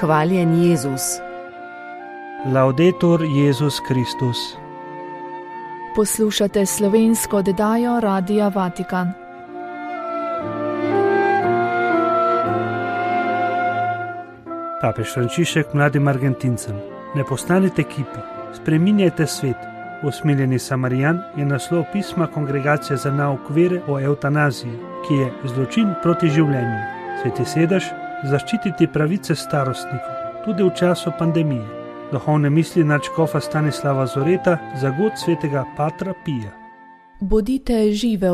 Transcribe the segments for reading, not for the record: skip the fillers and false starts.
Hvaljen Jezus. Laudetur Jezus Kristus. Poslušate slovensko oddajo Radia Vatikan. Papež Frančišek mladim Argentincem: ne postanite kipi, spreminjajte svet. Usmiljeni Samarijan je naslov pisma Kongregacije za nauk vere o evtanaziji, ki je zločin proti življenju. Sveti sedež: zaščititi pravice starostnikov, tudi v času pandemije. Duhovne misli nadškofa Stanislava Zoreta za god svetega Patra Pija. Bodite žive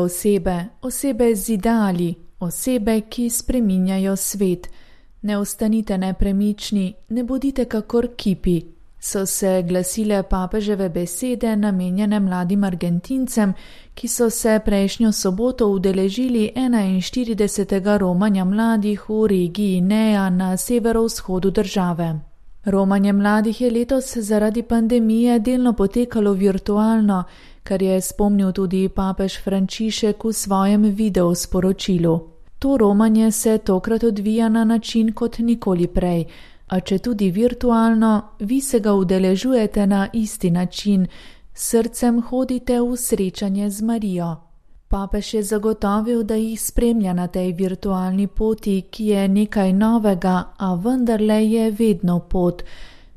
osebe z ideali, osebe, ki spreminjajo svet. Ne ostanite nepremični, ne bodite kakor kipi, so se glasile papeževe besede namenjene mladim Argentincem, ki so se prejšnjo soboto udeležili 41. romanja mladih v regiji Nea na severovzhodu države. Romanje mladih je letos zaradi pandemije delno potekalo virtualno, kar je spomnil tudi papež Frančišek v svojem videosporočilu. To romanje se tokrat odvija na način kot nikoli prej, a če tudi virtualno, vi se ga udeležujete na isti način, srcem hodite v srečanje z Marijo. Papež je zagotovil, da jih spremlja na tej virtualni poti, ki je nekaj novega, a vendarle je vedno pot.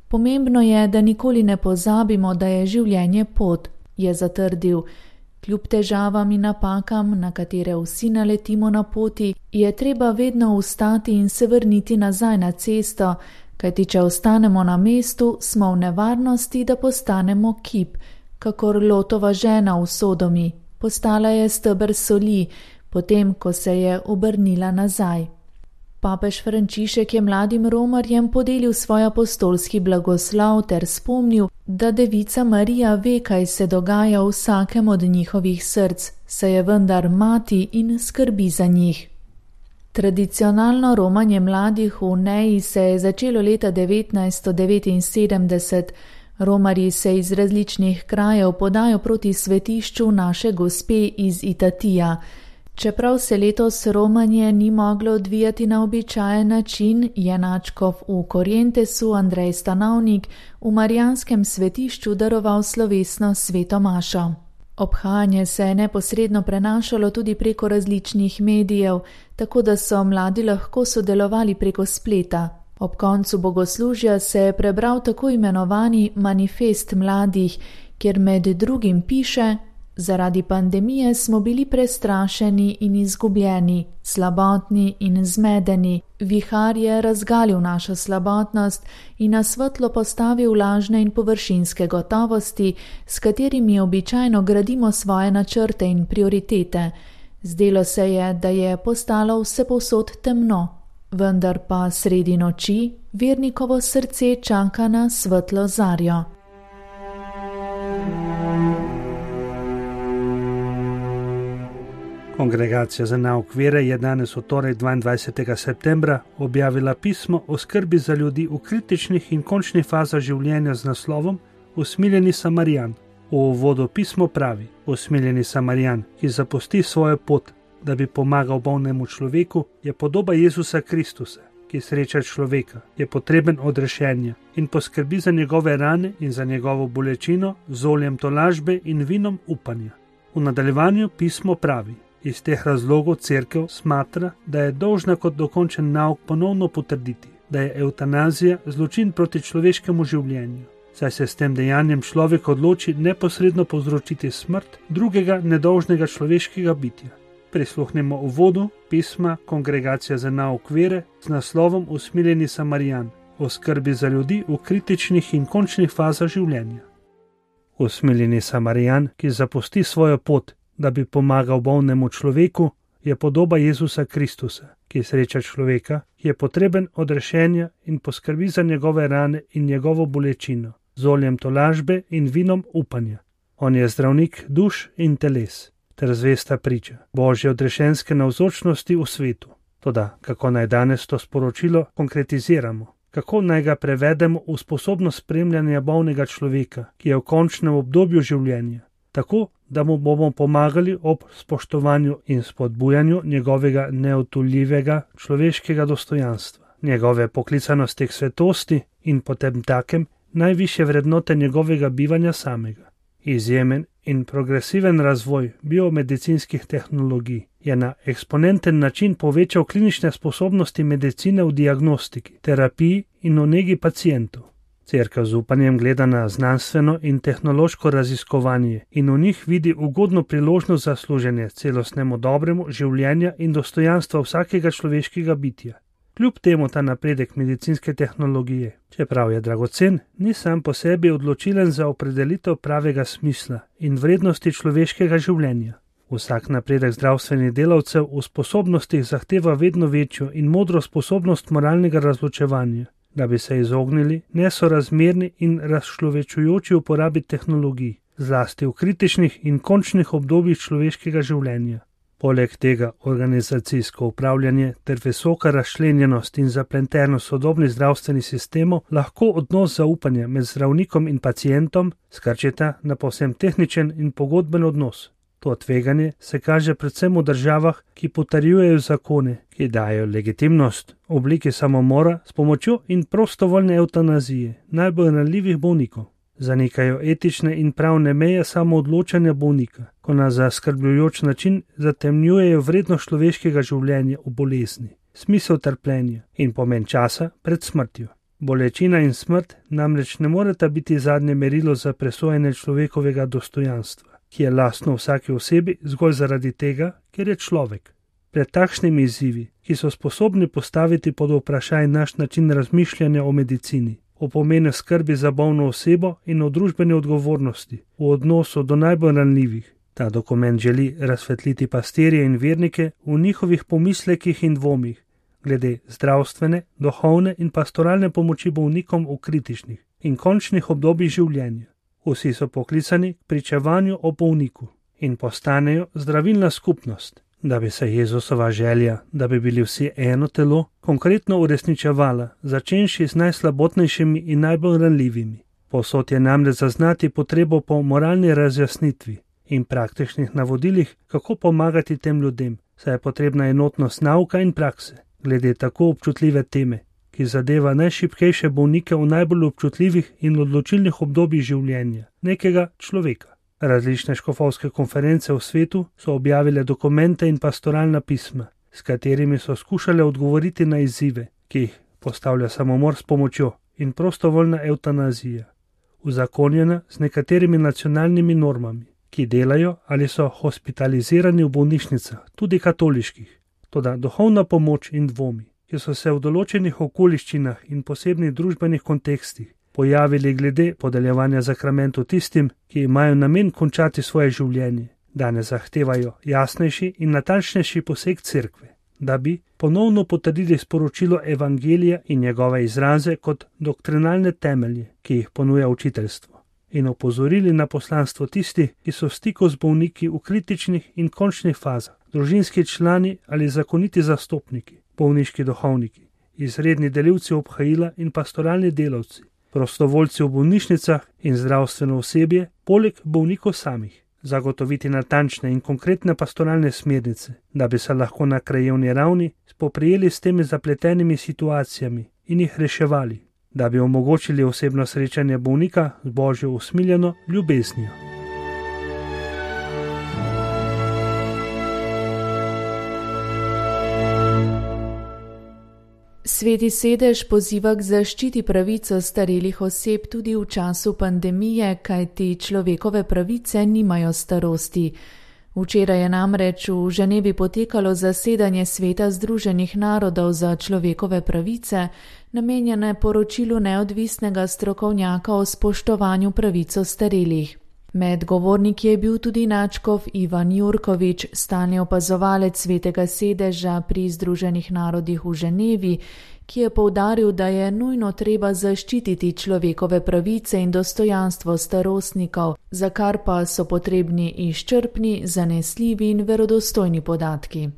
Pomembno je, da nikoli ne pozabimo, da je življenje pot, je zatrdil. Kljub težavam in napakam, na katere vsi naletimo na poti, je treba vedno ustati in se vrniti nazaj na cesto, kajti če ostanemo na mestu, smo v nevarnosti, da postanemo kip, kakor Lotova žena v Sodomi. Postala je steber soli, potem ko se je obrnila nazaj. Papež Frančišek je mladim romarjem podelil svoj apostolski blagoslov ter spomnil, da Devica Marija ve, kaj se dogaja v vsakem od njihovih src, saj je vendar mati in skrbi za njih. Tradicionalno romanje mladih v Neji se je začelo leta 1979. Romarji se iz različnih krajev podajo proti svetišču Naše Gospe iz Itatija. Čeprav se letos romanje ni moglo odvijati na običajen način, je nadškof v Corrientesu Andrej Stanovnik v marijanskem svetišču daroval slovesno sveto mašo. Obhajanje se je neposredno prenašalo tudi preko različnih medijev, tako da so mladi lahko sodelovali preko spleta. Ob koncu bogoslužja se je prebral tako imenovani manifest mladih, kjer med drugim piše: zaradi pandemije smo bili prestrašeni in izgubljeni, slabotni in zmedeni. Vihar je razgalil našo slabotnost in na svetlo postavil lažne in površinske gotovosti, s katerimi običajno gradimo svoje načrte in prioritete. Zdelo se je, da je postalo vsepovsod temno. Vendar pa sredi noči vernikovo srce čaka na svetlo zarjo. Kongregacija za nauk vere je danes v torek 22. septembra objavila pismo o skrbi za ljudi v kritičnih in končnih fazah življenja z naslovom Usmiljeni Samarijan. V uvodu pismo pravi: usmiljeni Samarijan, ki zapusti svojo pot, da bi pomagal bolnemu človeku, je podoba Jezusa Kristusa, ki sreča človeka, je potreben odrešenja in poskrbi za njegove rane in za njegovo bolečino z oljem tolažbe in vinom upanja. V nadaljevanju pismo pravi: iz teh razlogov cerkev smatra, da je dolžna kot dokončen nauk ponovno potrditi, da je evtanazija zločin proti človeškemu življenju, saj se s tem dejanjem človek odloči neposredno povzročiti smrt drugega nedolžnega človeškega bitja. Prisluhnemo uvodu pisma Kongregacija za nauk vere z naslovom Usmiljeni Samarijan o skrbi za ljudi v kritičnih in končnih fazah življenja. Usmiljeni Samarijan, ki zapusti svojo pot, da bi pomagal bolnemu človeku, je podoba Jezusa Kristusa, ki sreča človeka, ki je potreben odrešenja in poskrbi za njegove rane in njegovo bolečino z oljem tolažbe in vinom upanja. On je zdravnik duš in teles ter zvesta priča Božje odrešenske navzočnosti v svetu. Toda kako naj danes to sporočilo konkretiziramo? Kako naj ga prevedemo v sposobnost spremljanja bolnega človeka, ki je v končnem obdobju življenja, tako da mu bomo pomagali ob spoštovanju in spodbujanju njegovega neodtujljivega človeškega dostojanstva, njegove poklicanosti k svetosti in potem takem najvišje vrednote njegovega bivanja samega. Izjemen in progresiven razvoj biomedicinskih tehnologij je na eksponenten način povečal klinične sposobnosti medicine v diagnostiki, terapiji in v negi pacientov. Cerkev z upanjem gleda na znanstveno in tehnološko raziskovanje in v njih vidi ugodno priložnost za služenje celostnemu dobremu življenja in dostojanstva vsakega človeškega bitja. Kljub temu ta napredek medicinske tehnologije, čeprav je dragocen, ni sam po sebi odločilen za opredelitev pravega smisla in vrednosti človeškega življenja. Vsak napredek zdravstvenih delavcev v sposobnostih zahteva vedno večjo in modro sposobnost moralnega razločevanja, da bi se izognili nesorazmerni in razčlovečujoči uporabi tehnologij, zlasti v kritičnih in končnih obdobjih človeškega življenja. Poleg tega organizacijsko upravljanje ter visoka razčlenjenost in zapletenost sodobnih zdravstvenih sistemov lahko odnos zaupanja med zdravnikom in pacientom skrčita na povsem tehničen in pogodben odnos. To tveganje se kaže predvsem v državah, ki potrjujejo zakone, ki dajo legitimnost obliki samomora s pomočjo in prostovoljne evtanazije najbolj ranljivih bolnikov. Zanikajo etične in pravne meje samoodločanja bolnika, ko na zaskrbljujoč način zatemnjujejo vrednost človeškega življenja v bolezni, smisel trpljenja in pomen časa pred smrtjo. Bolečina in smrt namreč ne moreta biti zadnje merilo za presojanje človekovega dostojanstva, ki je lastno vsaki osebi zgolj zaradi tega, ker je človek. Pred takšnimi izzivi, ki so sposobni postaviti pod vprašaj naš način razmišljanja o medicini, o pomenu skrbi za bolno osebo in o družbeni odgovornosti v odnosu do najbolj ranljivih. Ta dokument želi razsvetliti pastirje in vernike v njihovih pomislekih in dvomih glede zdravstvene, duhovne in pastoralne pomoči bolnikom v kritičnih in končnih obdobjih življenja. Vsi so poklicani k pričevanju o bolniku in postanejo zdravilna skupnost, da bi se Jezusova želja, da bi bili vsi eno telo, konkretno uresničevala, začenši z najslabotnejšimi in najbolj ranljivimi. Povsod je namreč zaznati potrebo po moralni razjasnitvi in praktičnih navodilih, kako pomagati tem ljudem, saj je potrebna enotnost nauka in prakse, glede tako občutljive teme, ki zadeva najšibkejše bolnike v najbolj občutljivih in odločilnih obdobjih življenja nekega človeka. Različne škofovske konference v svetu so objavile dokumente in pastoralna pisma, s katerimi so skušale odgovoriti na izzive, ki jih postavlja samomor s pomočjo in prostovoljna evtanazija, uzakonjena z nekaterimi nacionalnimi normami, ki delajo ali so hospitalizirani v bolnišnicah, tudi katoliških. Toda duhovna pomoč in dvomi, ki so se v določenih okoliščinah in posebnih družbenih kontekstih pojavili glede podeljevanja zakramentov tistim, ki imajo namen končati svoje življenje, danes zahtevajo jasnejši in natančnejši poseg cerkve, da bi ponovno potrdili sporočilo evangelija in njegove izraze kot doktrinalne temelje, ki jih ponuja učiteljstvo, in opozorili na poslanstvo tistih, ki so v stiku z bolniki v kritičnih in končnih fazah, družinski člani ali zakoniti zastopniki, bolniški duhovniki, izredni delivci obhajila in pastoralni delavci, prostovoljci v bolnišnicah in zdravstveno osebje, poleg bolnikov samih, zagotoviti natančne in konkretne pastoralne smernice, da bi se lahko na krajevni ravni spoprijeli s temi zapletenimi situacijami in jih reševali, da bi omogočili osebno srečanje bolnika z Božjo usmiljeno ljubeznijo. Sveti sedež poziva k zaščiti pravico starelih oseb tudi v času pandemije, kajti človekove pravice nimajo starosti. Včeraj je namreč v Ženevi potekalo zasedanje Sveta Združenih narodov za človekove pravice, namenjene poročilu neodvisnega strokovnjaka o spoštovanju pravic starelih. Med govorniki je bil tudi nadškof Ivan Jurkovič, stalni opazovalec Svetega sedeža pri Združenih narodih v Ženevi, ki je poudaril, da je nujno treba zaščititi človekove pravice in dostojanstvo starostnikov, za kar pa so potrebni izčrpni, zanesljivi in verodostojni podatki.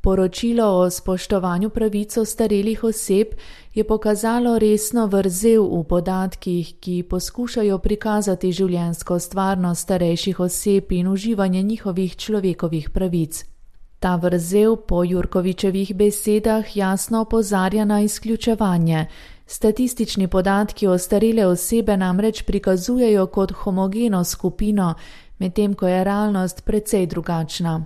Poročilo o spoštovanju pravic starelih oseb je pokazalo resno vrzel v podatkih, ki poskušajo prikazati življenjsko stvarnost starejših oseb in uživanje njihovih človekovih pravic. Ta vrzel po Jurkovičevih besedah jasno opozarja na izključevanje. Statistični podatki ostarele osebe namreč prikazujejo kot homogeno skupino, medtem ko je realnost precej drugačna.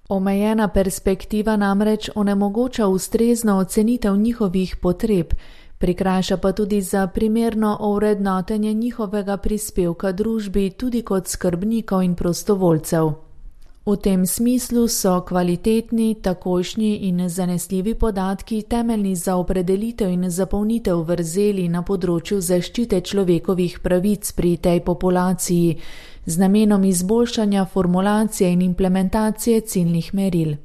Omejena perspektiva namreč onemogoča ustrezno ocenitev njihovih potreb, prikrajša pa tudi za primerno ovrednotenje njihovega prispevka družbi tudi kot skrbnikov in prostovoljcev. V tem smislu so kvalitetni, takojšnji in zanesljivi podatki temeljni za opredelitev in zapolnitev vrzeli na področju zaščite človekovih pravic pri tej populaciji, z namenom izboljšanja formulacije in implementacije ciljnih meril.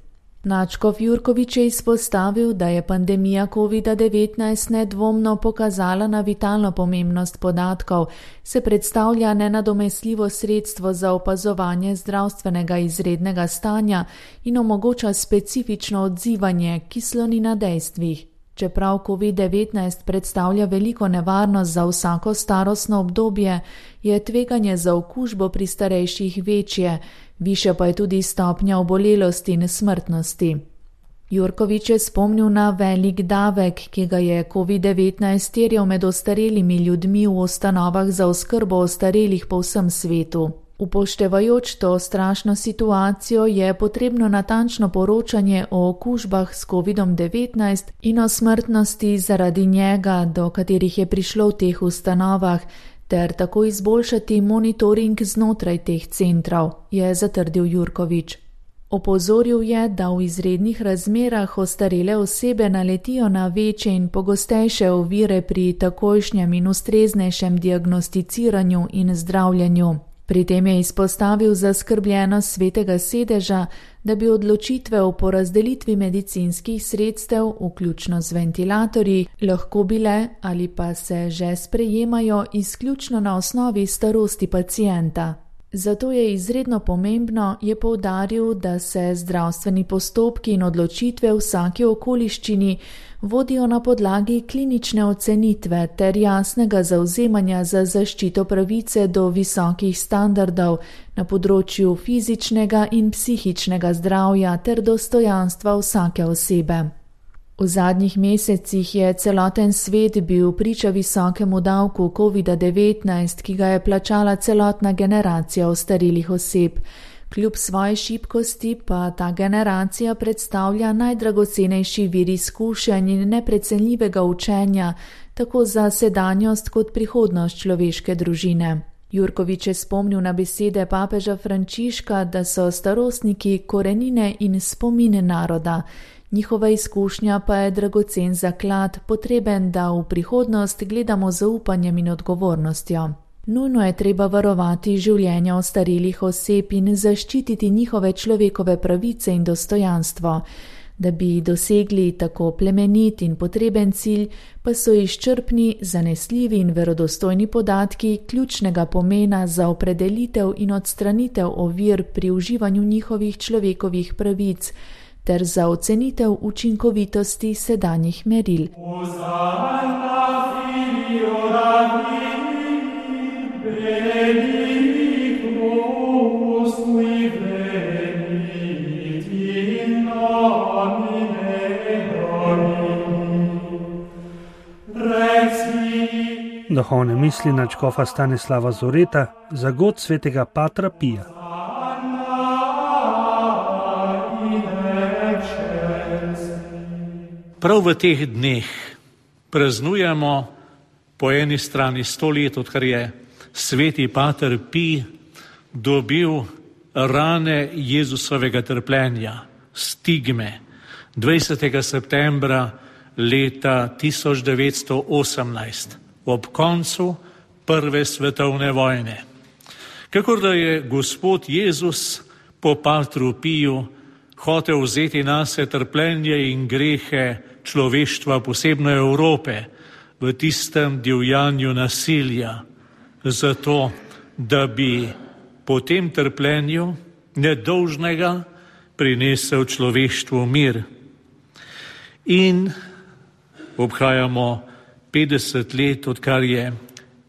Nadškof Jurkovič je izpostavil, da je pandemija COVID-19 nedvomno pokazala na vitalno pomembnost podatkov, se predstavlja nenadomestljivo sredstvo za opazovanje zdravstvenega izrednega stanja in omogoča specifično odzivanje, ki sloni na dejstvih. Čeprav COVID-19 predstavlja veliko nevarnost za vsako starostno obdobje, je tveganje za okužbo pri starejših večje, višja pa je tudi stopnja obolelosti in smrtnosti. Jurkovič je spomnil na velik davek, ki ga je COVID-19 terjal med ostarelimi ljudmi v ustanovah za oskrbo ostarelih po vsem svetu. Upoštevajoč to strašno situacijo je potrebno natančno poročanje o okužbah s COVID-19 in o smrtnosti zaradi njega, do katerih je prišlo v teh ustanovah, ter tako izboljšati monitoring znotraj teh centrov, je zatrdil Jurkovič. Opozoril je, da v izrednih razmerah ostarele osebe naletijo na večje in pogostejše ovire pri takojšnjem in ustreznejšem diagnosticiranju in zdravljenju. Pri tem je izpostavil zaskrbljenost Svetega sedeža, da bi odločitve o porazdelitvi medicinskih sredstev, vključno z ventilatorji, lahko bile ali pa se že sprejemajo izključno na osnovi starosti pacienta. Zato je izredno pomembno, je poudaril, da se zdravstveni postopki in odločitve v vsaki okoliščini vodijo na podlagi klinične ocenitve ter jasnega zavzemanja za zaščito pravice do visokih standardov na področju fizičnega in psihičnega zdravja ter dostojanstva vsake osebe. V zadnjih mesecih je celoten svet bil priča visokemu davku COVID-19, ki ga je plačala celotna generacija ostarelih oseb. Kljub svoji šibkosti pa ta generacija predstavlja najdragocenejši vir izkušenj in neprecenljivega učenja, tako za sedanjost kot prihodnost človeške družine. Jurkovič je spomnil na besede papeža Frančiška, da so starostniki korenine in spomine naroda. Njihova izkušnja pa je dragocen zaklad, potreben, da v prihodnost gledamo z zaupanjem in odgovornostjo. Nujno je treba varovati življenja ostarelih oseb in zaščititi njihove človekove pravice in dostojanstvo. Da bi dosegli tako plemenit in potreben cilj, pa so izčrpni, zanesljivi in verodostojni podatki ključnega pomena za opredelitev in odstranitev ovir pri uživanju njihovih človekovih pravic, ter za ocenitev učinkovitosti sedanjih meril. Duhovne misli nadškofa Stanislava Zoreta za god svetega Patra Pija. Prav v teh dneh praznujemo po eni strani 100 let, odkar je sveti Pater Pij dobil rane Jezusovega trpljenja, stigme, 20. septembra leta 1918, ob koncu prve svetovne vojne. Kakor da je Gospod Jezus po Patru Piju hotel vzeti nase trpljenje in grehe človeštva, posebno Evrope, v tistem divjanju nasilja, zato, da bi po tem trpljenju nedolžnega prinesel človeštvu mir. In obhajamo 50 let, odkar je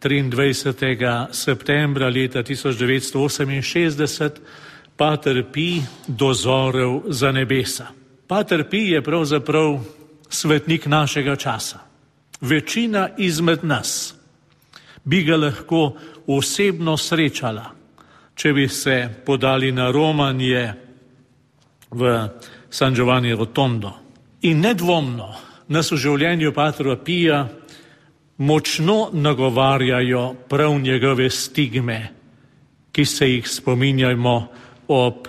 23. septembra leta 1968 Pater Pij dozorel za nebesa. Pater Pij je pravzaprav svetnik našega časa. Večina izmed nas bi ga lahko osebno srečala, če bi se podali na romanje v San Giovanni Rotondo. In nedvomno nas v življenju Patra Pija močno nagovarjajo prav njegove stigme, ki se jih spominjamo ob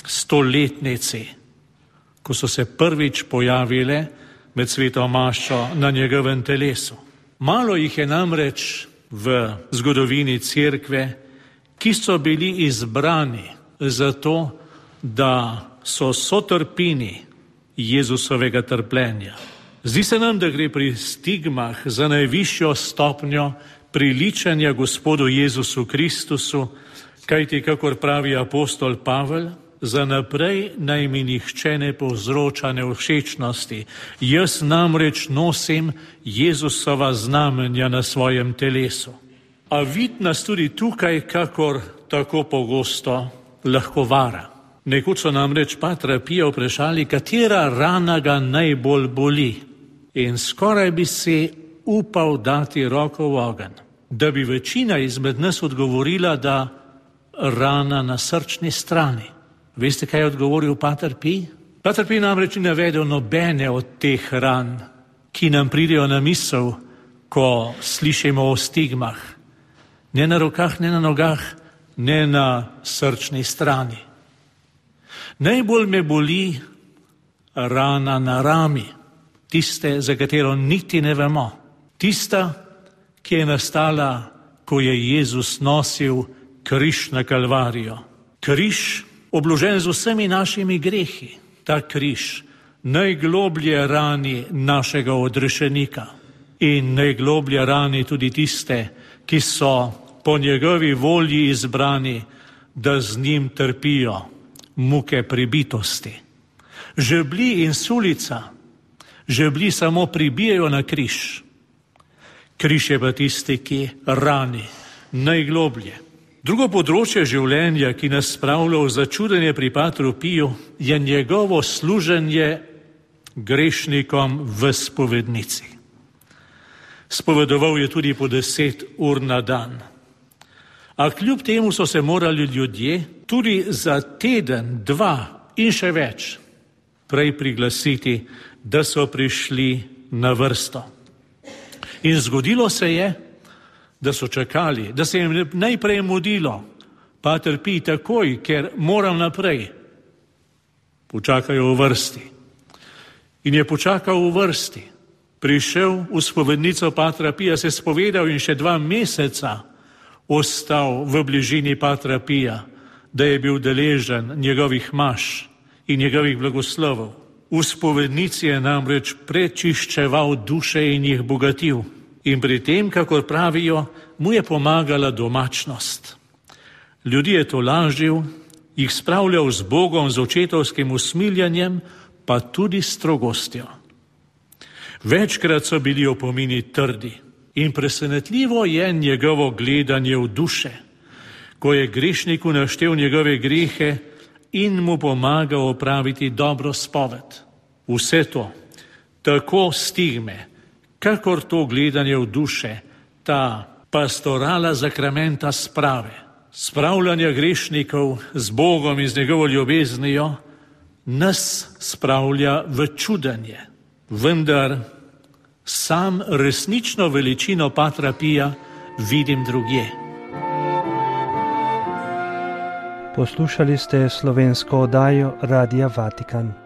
stoletnici, ko so se prvič pojavile med sveto mašo na njegovem telesu. Malo jih je namreč v zgodovini cerkve, ki so bili izbrani zato, da so sotrpini Jezusovega trpljenja. Zdi se nam, da gre pri stigmah za najvišjo stopnjo priličanja Gospodu Jezusu Kristusu, kajti, kakor pravi apostol Pavel, za naprej naj mi nihče ne povzroča nevšečnosti. Jaz namreč nosim Jezusova znamenja na svojem telesu. A vid nas tudi tukaj, kakor tako pogosto lahko vara. Nekoč so namreč Patra Pija vprašali, katera rana ga najbolj boli. In skoraj bi si upal dati roko v ogenj, da bi večina izmed nas odgovorila, da rana na srčni strani. Veste, kaj je odgovoril Pater Pij? Pater Pij namreč ni navedel nobene od teh ran, ki nam pridejo na misel, ko slišimo o stigmah. Ne na rokah, ne na nogah, ne na srčni strani. Najbolj me boli rana na rami, tiste, za katero niti ne vemo. Tista, ki je nastala, ko je Jezus nosil križ na Kalvarijo. Križ, obložen z vsemi našimi grehi. Ta križ najgloblje rani našega odrešenika in najgloblje rani tudi tiste, ki so po njegovi volji izbrani, da z njim trpijo muke pribitosti. Žebli in sulica, žebli samo pribijajo na križ. Križ je pa tisti, ki rani najgloblje. Drugo področje življenja, ki nas spravlja v začudenje pri Patru Piju, je njegovo služenje grešnikom v spovednici. Spovedoval je tudi po 10 ur na dan. A kljub temu so se morali ljudje tudi za teden, 2 in še več prej priglasiti, da so prišli na vrsto. In zgodilo se je, da so čakali, da se jim najprej mudilo. Pater Pij, takoj, ker moram naprej. Počakajo v vrsti. In je počakal v vrsti. Prišel v spovednico Patra Pija, se spovedal in še 2 meseca ostal v bližini Patra Pija, da je bil deležen njegovih maš in njegovih blagoslovov. V spovednici je namreč prečiščeval duše in jih bogatil. In pri tem, kakor pravijo, mu je pomagala domačnost. Ljudi je tolažil, jih spravljal z Bogom, z očetovskim usmiljanjem, pa tudi strogostjo. Večkrat so bili opomini trdi in presenetljivo je njegovo gledanje v duše, ko je grešniku naštel njegove grehe in mu pomagal opraviti dobro spoved. Vse to, tako stigme, kakor to gledanje v duše, ta pastorala zakramenta sprave, spravljanja grešnikov z Bogom in z njegovo ljubeznijo, nas spravlja v čudenje. Vendar sam resnično veličino Patra Pija vidim drugje. Poslušali ste slovensko oddajo Radia Vatikan.